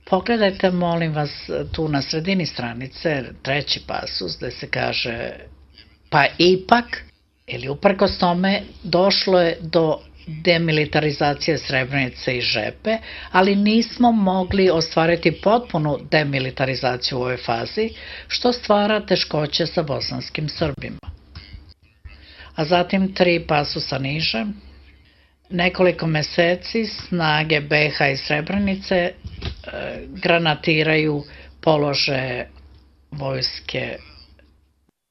Pogledajte, molim vas, tu na sredini stranice, treći pasus, gde se kaže, pa ipak, ili uprkos tome, došlo je do demilitarizacije Srebrenice i Žepe, ali nismo mogli ostvariti potpunu demilitarizaciju u ovoj fazi, što stvara teškoće sa bosanskim Srbima. A zatim 3 pasusa niže, nekoliko meseci snage BiH i Srebrenice granatiraju položaje vojske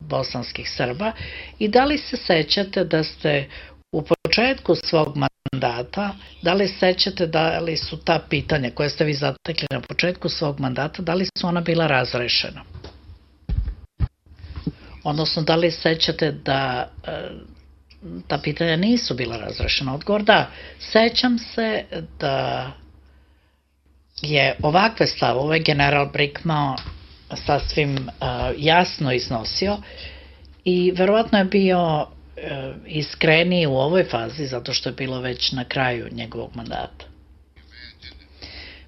bosanskih Srba i da li se sećate da ste u početku svog mandata, da li sećate da li su ta pitanja koje ste vi zatekli na početku svog mandata, da li su ona bila razrešena? Odnosno, da li sećate da ta pitanja nisu bila razrešena? Odgovor da. Sećam se da je ovakve stavove general Brickmao sasvim jasno iznosio i verovatno je bio iskreniji u ovoj fazi zato što je bilo već na kraju njegovog mandata.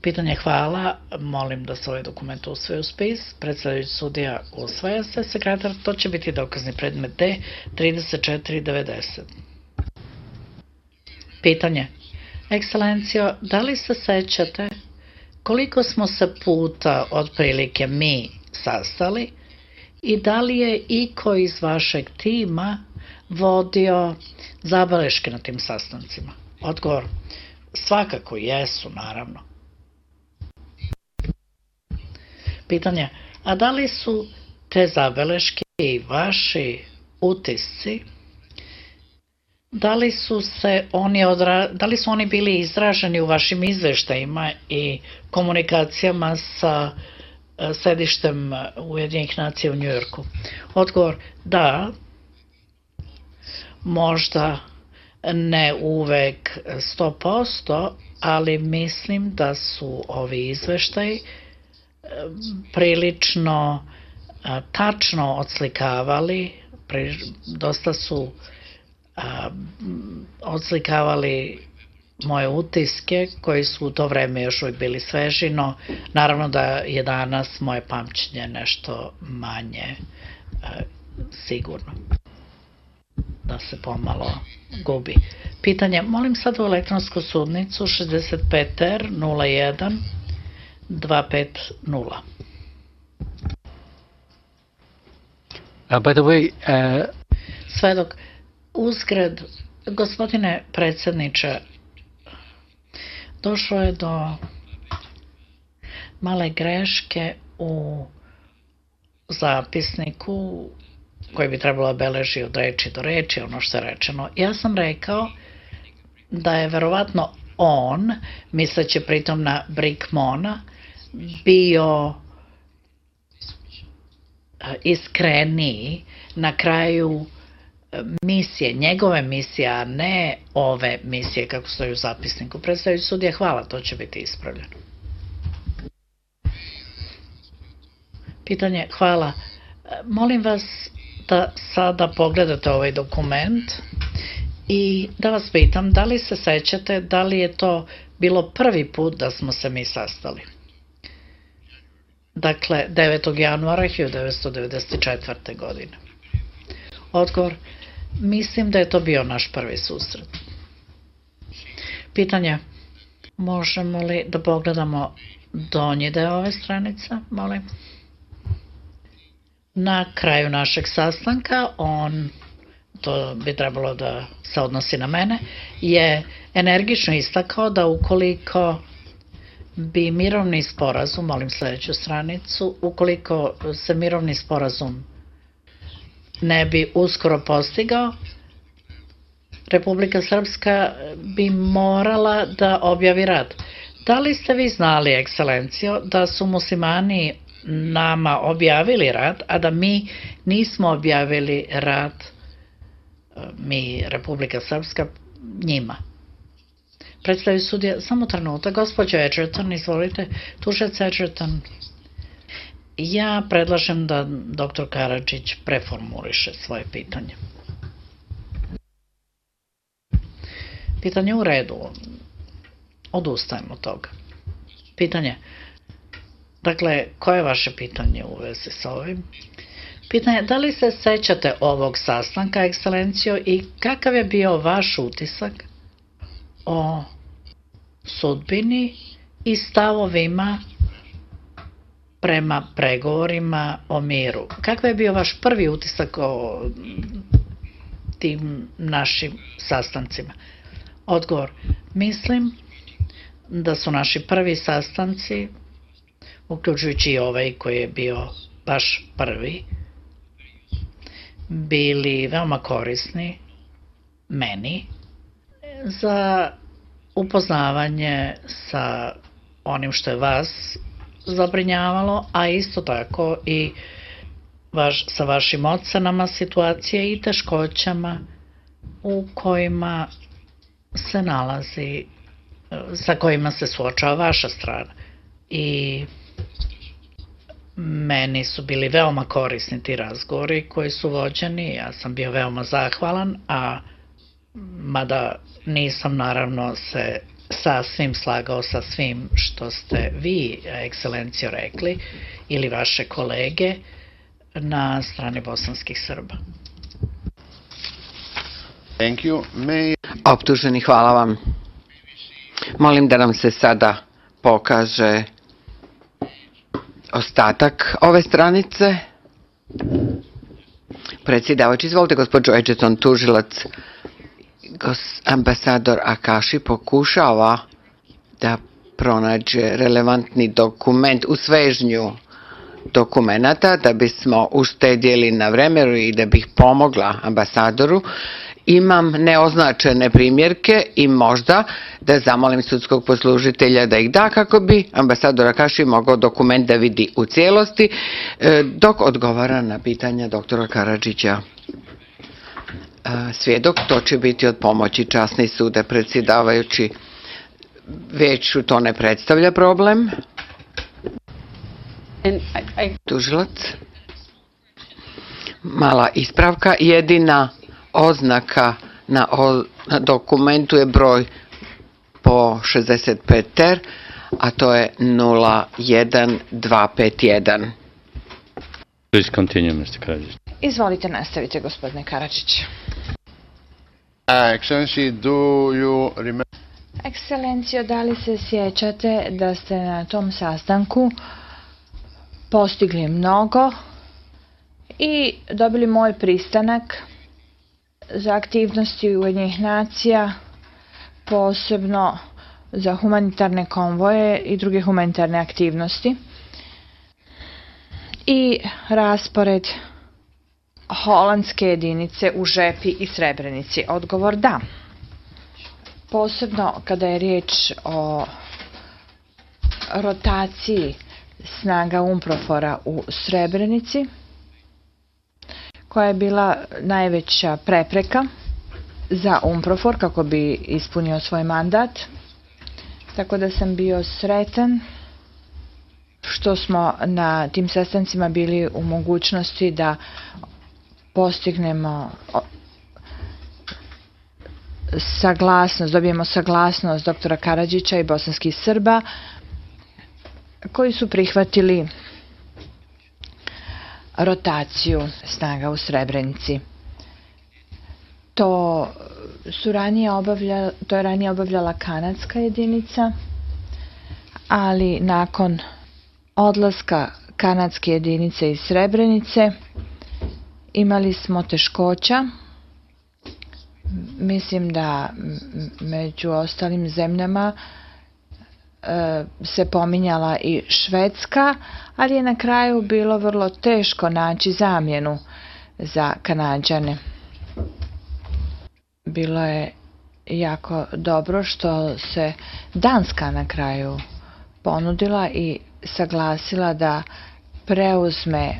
Pitanje hvala, molim da se ovaj dokument usvoji u spis. Predstavljajući sudija usvaja se, sekretar, to će biti dokazni predmet D 3490. Pitanje. Ekscelencijo, da li se sećate koliko smo se puta otprilike mi sastali i da li je iko iz vašeg tima vodio zabeleške na tim sastancima? Odgovor, svakako jesu, naravno. Pitanje, a da li su te zabeleške i vaši utisci, da li su oni bili izraženi u vašim izveštajima i komunikacijama sa sedištem Ujedinjenih nacija u Njujorku? Odgovor, da, možda ne uvek 100%, ali mislim da su ovi izveštaji prilično tačno odslikavali, dosta su odslikavali moje utiske koji su u to vreme još uvijek bili sveži, no naravno da je danas moje pamćenje nešto manje sigurno, da se pomalo gubi. Pitanje, molim sad u elektronsku sudnicu 65R 01 250. By the way, Svedok, uzgred, gospodine predsjedniče, došlo je do male greške u zapisniku koji bi trebalo beleži od reči do reči, ono što je rečeno. Ja sam rekao da je verovatno on, misleći pritom na Brickmana, bio iskreniji na kraju misije, njegove misije, a ne ove misije kako stoji u zapisniku. Predstavljajući sudija, hvala, to će biti ispravljeno. Pitanje, hvala. Molim vas da sada pogledate ovaj dokument i da vas pitam da li se sećate da li je to bilo prvi put da smo se mi sastali. Dakle, 9. januara 1994. godine. Odgovor, mislim da je to bio naš prvi susret. Pitanje, možemo li da pogledamo donji deo ove stranice, molim? Na kraju našeg sastanka, to bi trebalo da se odnosi na mene, je energično istakao da ukoliko bi mirovni sporazum, molim sledeću stranicu, ukoliko se mirovni sporazum ne bi uskoro postigao, Republika Srpska bi morala da objavi rat. Da li ste vi znali, ekscelencijo, da su muslimani nama objavili rat, a da mi nismo objavili rat, mi, Republika Srpska, njima? Predstavlja sudija, samo trenutak, gospođo Edgerton, izvolite, tužilac Edgerton. Ja predlažem da dr. Karadžić preformuliše svoje pitanje. Pitanje u redu, odustajem od toga. Pitanje, Dakle, koje je vaše pitanje u vezi sa ovim? Pitanje, da li se sećate ovog sastanka, ekscelencijo, i kakav je bio vaš utisak o sudbini i stavovima prema pregovorima o miru? Kakav je bio vaš prvi utisak o tim našim sastancima? Odgovor, mislim da su naši prvi sastanci, uključujući i ovaj koji je bio baš prvi, bili veoma korisni meni za upoznavanje sa onim što je vas zabrinjavalo, a isto tako i sa vašim ocenama situacije i teškoćama u kojima se nalazi, sa kojima se suočava vaša strana. I meni su bili veoma korisni ti razgovori koji su vođeni, ja sam bio veoma zahvalan, a mada nisam naravno se sasvim slagao sa svim što ste vi, ekscelencijo, rekli ili vaše kolege na strani bosanskih Srba. Optuženi, hvala vam. Molim da nam se sada pokaže ostatak ove stranice. Predsjedavajući, izvolite, gospođo Edgerton, tužilac. Ambasador Akashi pokušava da pronađe relevantni dokument u svežnju dokumenata da bismo uštedjeli na vremenu i da bih pomogla ambasadoru. Imam neoznačene primjerke i možda da zamolim sudskog poslužitelja da ih da kako bi ambasador Akashi mogao dokument da vidi u cijelosti dok odgovara na pitanja doktora Karadžića. Svjedok, to će biti od pomoći, časni sude, predsjedavajući. Vijeću to ne predstavlja problem. Tužilac. Mala ispravka, jedina oznaka na dokumentu je broj po 65 ter, a to je 01251. Please continue, Mr. Karadžić. Izvolite, nastavite, gospodine Karadžić. Excellency, do you remember? Ekscelencijo, da li se sjećate da ste na tom sastanku postigli mnogo i dobili moj pristanak za aktivnosti Ujedinjenih nacija, posebno za humanitarne konvoje i druge humanitarne aktivnosti, i raspored holandske jedinice u Žepi i Srebrenici? Odgovor, da. Posebno kada je riječ o rotaciji snaga UNPROFOR-a u Srebrenici, koja je bila najveća prepreka za UNPROFOR kako bi ispunio svoj mandat. Tako da sam bio sretan što smo na tim sastancima bili u mogućnosti da postignemo saglasnost, dobijemo saglasnost doktora Karadžića i bosanskih Srba koji su prihvatili rotaciju snaga u Srebrenici. To je ranije obavljala kanadska jedinica, ali nakon odlaska kanadske jedinice iz Srebrenice imali smo teškoća. Mislim da među ostalim zemljama se pominjala i Švedska, ali je na kraju bilo vrlo teško naći zamjenu za Kanađane. Bilo je jako dobro što se Danska na kraju ponudila i saglasila da preuzme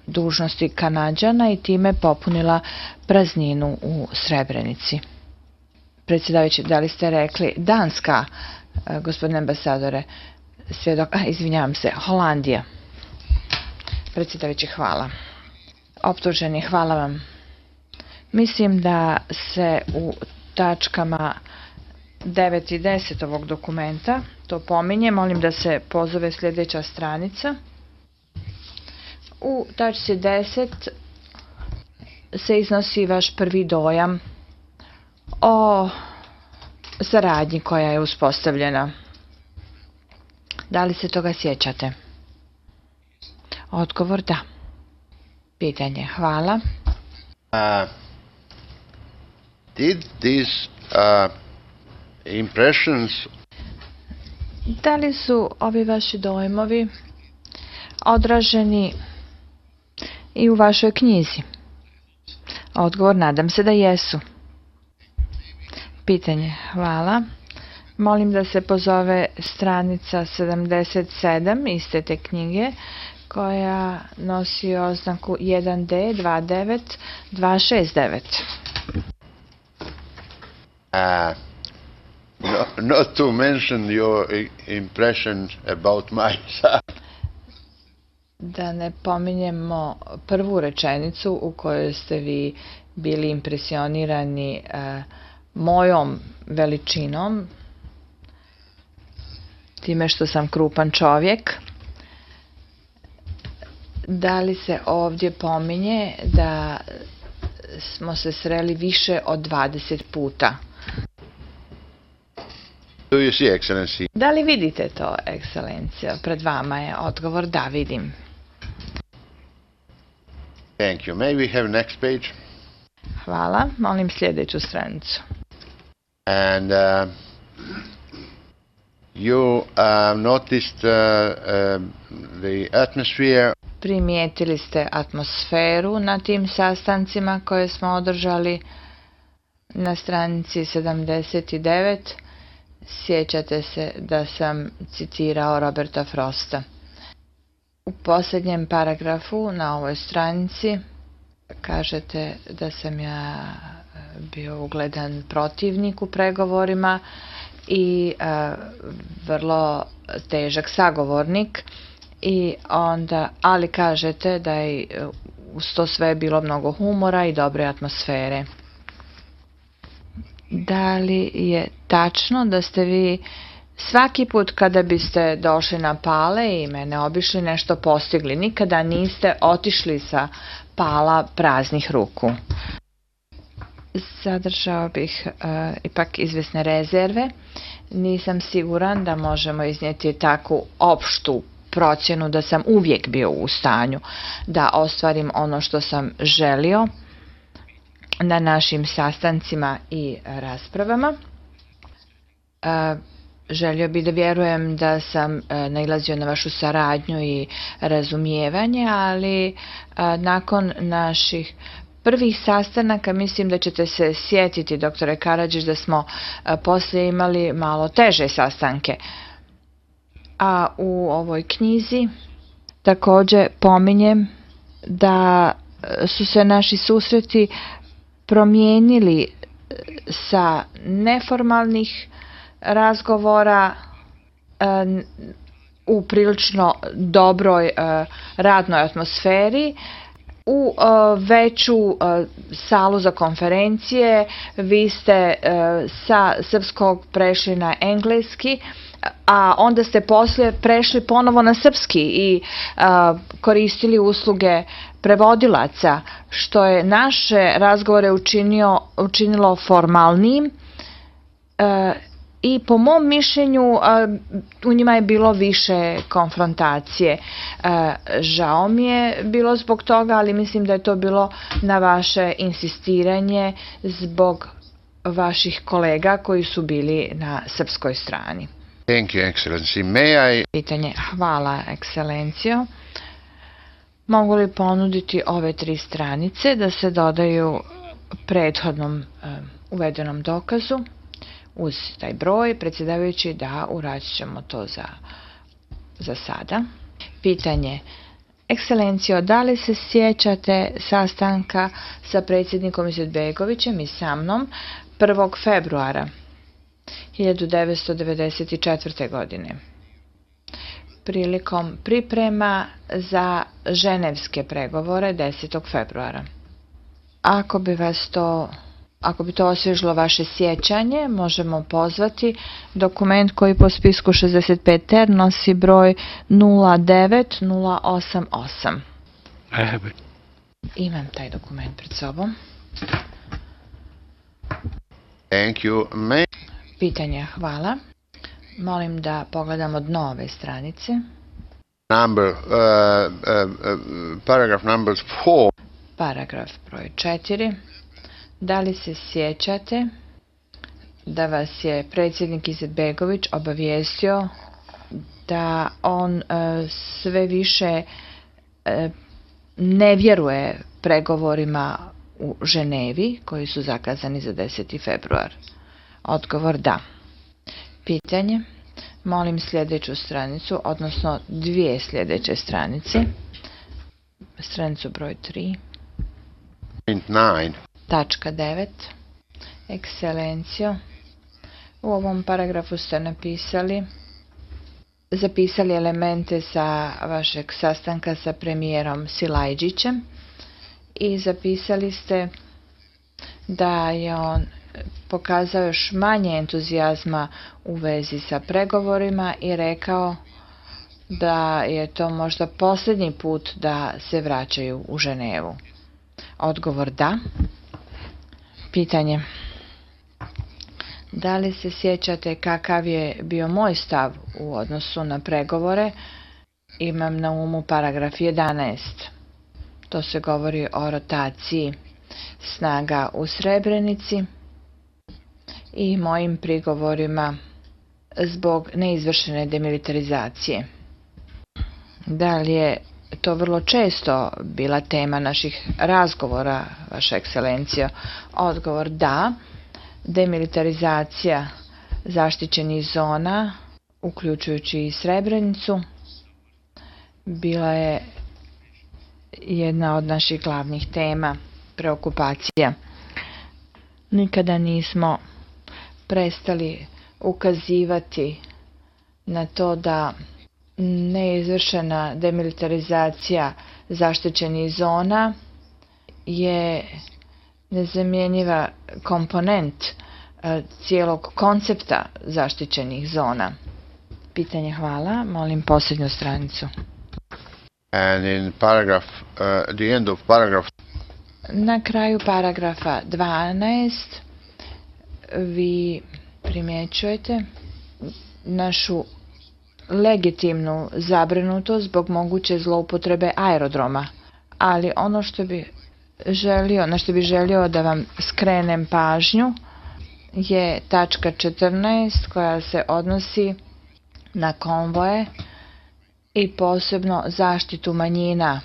dužnosti Kanađana i time popunila prazninu u Srebrenici. Predsjedavajući, da li ste rekli Danska, gospodine ambasadore? Svjedok, izvinjavam se, Holandija. Predsjedavajući, hvala. Optuženi, hvala vam. Mislim da se u tačkama 9 i 10 ovog dokumenta, to pominje, molim da se pozove sljedeća stranica. U tačci 10 se iznosi vaš prvi dojam o saradnji koja je uspostavljena. Da li se toga sjećate? Odgovor da. Pitanje, hvala. Did these impressions Da li su ovi vaši dojmovi odraženi i u vašoj knjizi? Odgovor, nadam se da jesu. Pitanje, hvala. Molim da se pozove stranica 77 iste te knjige koja nosi oznaku 1D 29269. not to mention your impression about my son? Da ne pominjemo prvu rečenicu u kojoj ste vi bili impresionirani mojom veličinom, time što sam krupan čovjek. Da li se ovdje pominje da smo se sreli više od 20 puta? Do you see, Excellency? Da li vidite to, ekscelencija? Pred vama je odgovor, da, vidim. Thank you. May we have next page? Hvala, molim sljedeću stranicu. And you noticed the atmosphere. Primijetili ste atmosferu na tim sastancima koje smo održali na stranici 79. Sjećate se da sam citirao Roberta Frosta. U posljednjem paragrafu na ovoj stranici kažete da sam ja bio ugledan protivnik u pregovorima i vrlo težak sagovornik, i onda, ali kažete da je uz to sve bilo mnogo humora i dobre atmosfere. Da li je tačno da ste vi svaki put kada biste došli na Pale i mene obišli nešto postigli, nikada niste otišli sa Pala praznih ruku? Zadržao bih ipak izvjesne rezerve. Nisam siguran da možemo iznijeti takvu opštu procjenu da sam uvijek bio u stanju da ostvarim ono što sam želio na našim sastancima i raspravama. Želio bih da vjerujem da sam nailazio na vašu saradnju i razumijevanje, ali nakon naših prvih sastanaka mislim da ćete se sjetiti, doktore Karadžić, da smo poslije imali malo teže sastanke. A u ovoj knjizi također pominjem da su se naši susreti promijenili sa neformalnih razgovora u prilično dobroj radnoj atmosferi u veću salu za konferencije. Vi ste sa srpskog prešli na engleski, a onda ste poslije prešli ponovo na srpski i koristili usluge prevodilaca, što je naše razgovore učinilo formalnijim i po mom mišljenju u njima je bilo više konfrontacije. Žao mi je bilo zbog toga, ali mislim da je to bilo na vaše insistiranje zbog vaših kolega koji su bili na srpskoj strani. Thank you, Excellency. May I... Pitanje, hvala, ekscelencijo. Mogu li ponuditi ove 3 stranice da se dodaju prethodnom uvedenom dokazu uz taj broj? Predsjedavajući, da, uradit ćemo to za sada. Pitanje, ekscelencijo, da li se sjećate sastanka sa predsjednikom Izetbegovićem i sa mnom 1. februara 1994. godine prilikom priprema za ženevske pregovore 10. februara? Ako bi vas to ako bi to osvježilo vaše sjećanje, možemo pozvati dokument koji po spisku 65 ter nosi broj 09088. I have it. Imam taj dokument pred sobom. Thank you. Pitanja, hvala. Molim da pogledamo dno ove stranice. Paragraph number 4. Paragraf broj 4. Da li se sjećate da vas je predsjednik Izetbegović obavijestio da on sve više ne vjeruje pregovorima u Ženevi koji su zakazani za 10. februar? Odgovor da. Pitanje. Molim sljedeću stranicu, odnosno dvije sljedeće stranice. Stranicu broj 3. 9. Tačka 9. Ekscelencijo. U ovom paragrafu ste zapisali elemente sa vašeg sastanka sa premijerom Silajđićem i zapisali ste da je on pokazao još manje entuzijazma u vezi sa pregovorima i rekao da je to možda posljednji put da se vraćaju u Ženevu. Odgovor da. Pitanje. Da li se sjećate kakav je bio moj stav u odnosu na pregovore? Imam na umu paragraf 11. To se govori o rotaciji snaga u Srebrenici i mojim prigovorima zbog neizvršene demilitarizacije. Da li je to vrlo često bila tema naših razgovora, Vaša ekscelencijo? Odgovor da. Demilitarizacija zaštićenih zona, uključujući i Srebrenicu, bila je jedna od naših glavnih tema preokupacija. Nikada nismo prestali ukazivati na to da neizvršena demilitarizacija zaštićenih zona je nezamjenjiva komponent cijelog koncepta zaštićenih zona. Pitanje, hvala. Molim posljednju stranicu. And in paragraph, the end of paragraph. Na kraju paragrafa 12 vi primjećujete našu legitimnu zabrinutost zbog moguće zloupotrebe aerodroma, ali ono što bi želio da vam skrenem pažnju je tačka 14 koja se odnosi na konvoje i posebno zaštitu manjina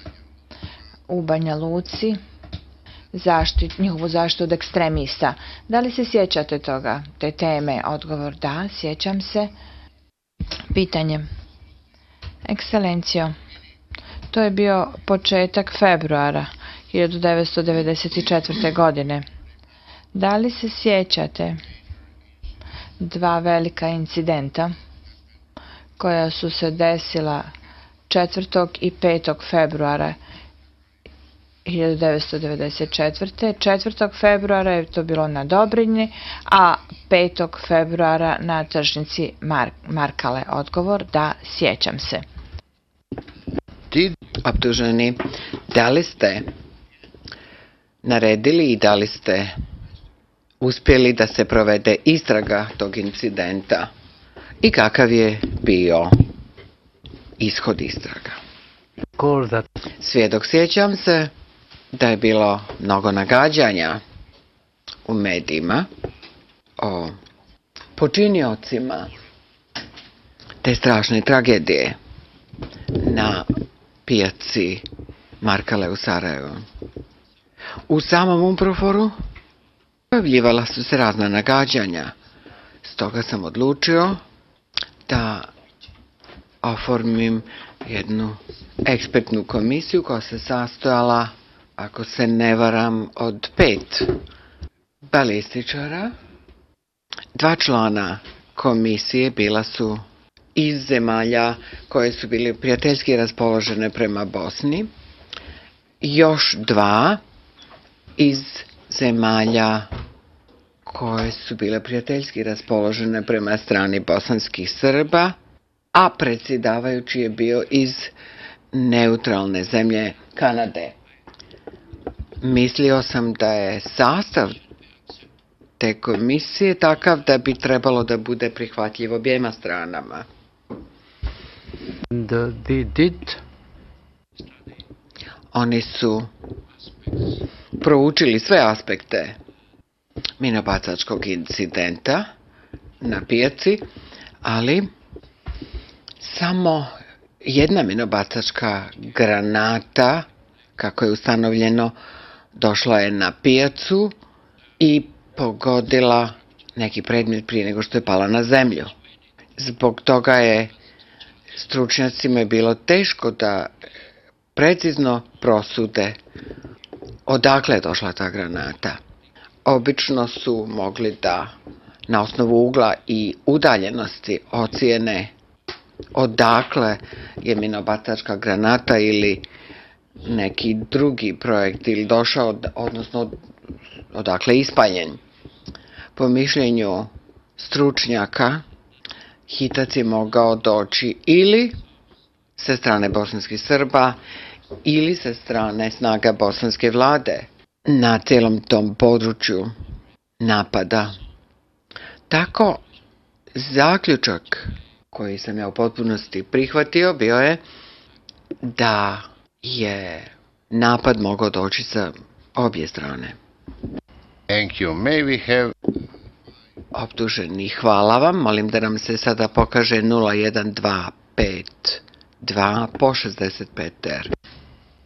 u Banja Luci, njihovu zaštitu od ekstremista. Da li se sjećate toga, te teme? Odgovor da, sjećam se. Pitanje. Ekscelencijo, to je bio početak februara 1994. godine. Da li se sjećate dva velika incidenta koja su se desila 4. i 5. februara 1994. 4. februara je to bilo na Dobrinji, a 5. februara na tržnici Markale. Odgovor da, sjećam se. Optuženi, da li ste naredili i da li ste uspjeli da se provede istraga tog incidenta i kakav je bio ishod istraga? Svjedok, sjećam se da je bilo mnogo nagađanja u medijima o počiniocima te strašne tragedije na pijaci Markale u Sarajevu. U samom UNPROFOR-u pojavljivala su se razna nagađanja, stoga sam odlučio da oformim jednu ekspertnu komisiju koja se sastojala, ako se ne varam, od 5 balističara. 2 člana komisije bila su iz zemalja koje su bile prijateljski raspoložene prema Bosni, još 2 iz zemalja koje su bile prijateljski raspoložene prema strani bosanskih Srba, a predsjedavajući je bio iz neutralne zemlje Kanade. Mislio sam da je sastav te komisije takav da bi trebalo da bude prihvatljiv objema stranama. They did. Oni su proučili sve aspekte minobacačkog incidenta na pijaci, ali samo jedna minobacačka granata, kako je ustanovljeno, došla je na pijacu i pogodila neki predmet prije nego što je pala na zemlju. Zbog toga je stručnjacima bilo teško da precizno prosude odakle je došla ta granata. Obično su mogli da na osnovu ugla i udaljenosti ocijene odakle je minobacačka granata ili neki drugi projektil došao, odnosno odakle je ispaljen. Po mišljenju stručnjaka, hitac je mogao doći ili sa strane bosanskih Srba ili sa strane snaga bosanske vlade na cijelom tom području napada. Tako, zaključak koji sam ja u potpunosti prihvatio bio je da je napad mogao doći sa obje strane. Thank you. May we have... Optuženi, hvala vam. Molim da nam se sada pokaže 01252 po 65R.